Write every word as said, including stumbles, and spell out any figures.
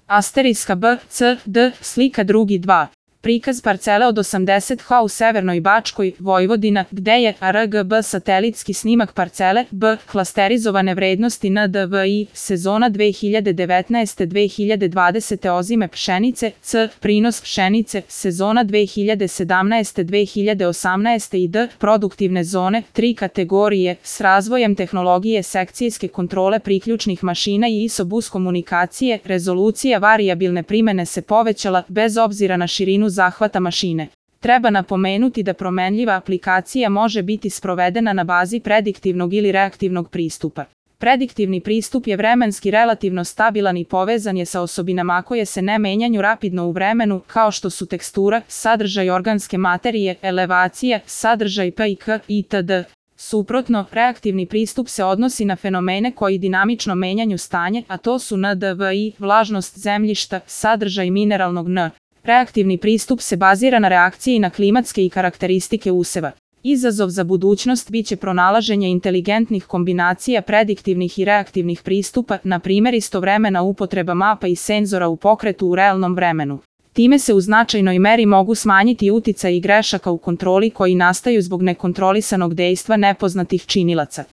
Asteriska B, C, D, slika drugi dva. Prikaz parcele od osamdeset ha u Severnoj Bačkoj, Vojvodina, gde je R G B satelitski snimak parcele, B, klasterizovane vrednosti N D V I, sezona dve hiljade devetnaeste do dve hiljade dvadesete ozime pšenice, C, prinos pšenice, sezona dve hiljade sedamnaeste do dve hiljade osamnaeste i D, produktivne zone, tri kategorije, s razvojem tehnologije sekcijske kontrole priključnih mašina i I S O bus komunikacije, rezolucija varijabilne primene se povećala, bez obzira na širinu zahvata mašine. Treba napomenuti da promenljiva aplikacija može biti sprovedena na bazi prediktivnog ili reaktivnog pristupa. Prediktivni pristup je vremenski relativno stabilan i povezan je sa osobinama koje se ne menjaju rapidno u vremenu, kao što su tekstura, sadržaj organske materije, elevacija, sadržaj P I K itd. Suprotno, reaktivni pristup se odnosi na fenomene koji dinamično menjaju stanje, a to su N D V I, vlažnost zemljišta, sadržaj mineralnog N. Reaktivni pristup se bazira na reakciji na klimatske i karakteristike useva. Izazov za budućnost biće pronalaženje inteligentnih kombinacija prediktivnih i reaktivnih pristupa, na primjer istovremena upotreba mapa i senzora u pokretu u realnom vremenu. Time se u značajnoj meri mogu smanjiti uticaji grešaka u kontroli koji nastaju zbog nekontrolisanog dejstva nepoznatih činilaca.